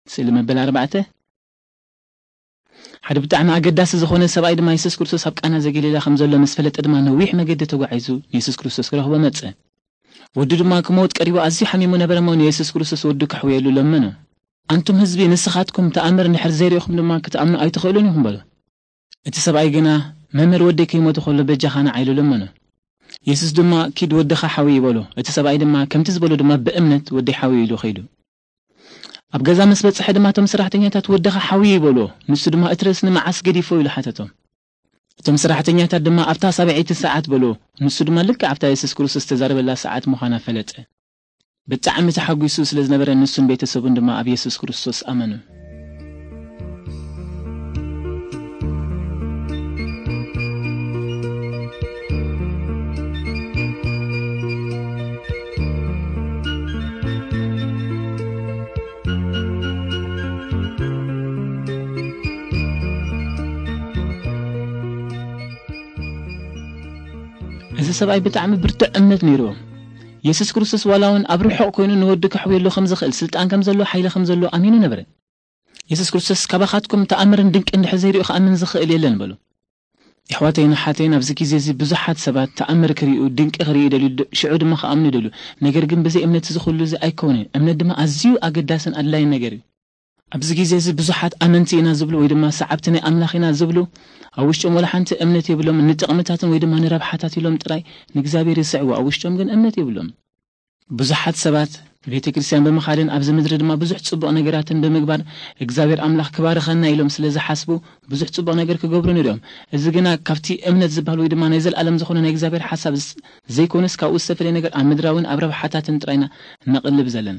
ስእሊ መበል ኣርባዕተ። ሓደ ብጣዕሚ ኣገዳሲ ዝኾነ ሰብኣይ ድማ የሱስ ክርስቶስ ኣብ ቃና ዘገሊላ ከም ዘሎ ምስ ፈለጠ ድማ ነዊሕ መገዲ ተጓዒዙ ንየሱስ ክርስቶስ ክረኽቦ መጸ። ወዱ ድማ ክመውት ቀሪቡ ኣዝዩ ሓሚሙ ነበረ እሞ ንየሱስ ክርስቶስ ወዱ ከሕውየሉ ለመኖ። ኣንቱም ህዝቢ ንስኻትኩም ተኣምር እንድሕር ዘይሪእኹም ድማ ክትኣምኑ ኣይትኽእሉን ኢኹም በሎ። እቲ ሰብኣይ ግና መምህር ወደይ ከይሞተ ከሎ በጃኻ ንዓ ኢሉ ለመኖ። የሱስ ድማ ኪድ ወድኻ ሓዊ ይበሎ። እቲ ሰብኣይ ድማ ከምቲ ዝበሎ ድማ ብእምነት ወደይ ሓዊ ኢሉ ኸይዱ። ኣብ ገዛ ምስ በጽሐ ድማ እቶም ሰራሕተኛታት ወድኻ ሓዊ ይበሎ። ንሱ ድማ እቲ ርእስኒ መዓስ ገዲፎ ኢሉ ሓተቶም። እቶም ሰራሕተኛታት ድማ ኣብታ ሳብዐይቲ ሰዓት በሎ። ንሱ ድማ ልክዕ ኣብታ የሱስ ክርስቶስ ዝተዛረበላ ሰዓት ምዃና ፈለጠ። ብጣዕሚ ተሓጒሱ ስለ ዝነበረ ንሱን ቤተሰቡን ድማ ኣብ የሱስ ክርስቶስ ኣመኑ። እዚ ሰብኣይ ብጣዕሚ ብርቱዕ እምነት ነይርዎ። የሱስ ክርስቶስ ዋላ እውን ኣብ ርሑቕ ኮይኑ ንወዱ ከሕውየሉ ከም ዝኽእል፣ ስልጣን ከም ዘለዎ፣ ሓይሊ ከም ዘለዎ ኣሚኑ ነበረ። የሱስ ክርስቶስ ካባኻትኩም ተኣምርን ድንቂ እንድሕር ዘይሪኡ ክኣምን ዝኽእል የለን በሉ። የሕዋተይን ኣሓተይን ኣብዚ ግዜ እዚ ብዙሓት ሰባት ተኣምር ክሪኡ፣ ድንቂ ክሪኡ ይደልዩ፣ ድ-፣ ሽዑ ድማ ክኣምኑ ይደልዩ። ነገር ግን ብዘይ እምነት እዚ ኩሉ እዚ ኣይከውንን። እምነት ድማ ኣዝዩ ኣገዳስን ኣድላይን ነገር እዩ። ኣብዚ ግዜ እዚ ብዙሓት ኣመንቲ ኢና ዝብሉ ወይ ድማ ሰዓብቲ ናይ ኣምላኽ ኢና ዝብሉ ኣብ ውሽጦም ወላ ሓንቲ እምነት የብሎም። ንጥቕምታትን ወይ ድማ ንረብሓታት ኢሎም ጥራይ ንእግዚኣብሔር ይስዕቡ፣ ኣብ ውሽጦም ግን እምነት የብሎም። ብዙሓት ሰባት ቤተ ክርስቲያን ብምኻድን ኣብዚ ምድሪ ድማ ብዙሕ ጽቡቕ ነገራትን ብምግባር እግዚኣብሔር ኣምላኽ ክባርኸና ኢሎም ስለ ዝሓስቡ ብዙሕ ጽቡቕ ነገር ክገብሩ ንሪኦም። እዚ ግና ካብቲ እምነት ዝበሃል ወይ ድማ ናይ ዘለኣለም ዝኾነ ናይ እግዚኣብሔር ሓሳብ ዝ-፣ ዘይኮነስ ካብኡ ዝተፈለየ ነገር ኣብ ምድራዊን ኣብ ረብሓታትን ጥራይና ነቕልብ ዘለና።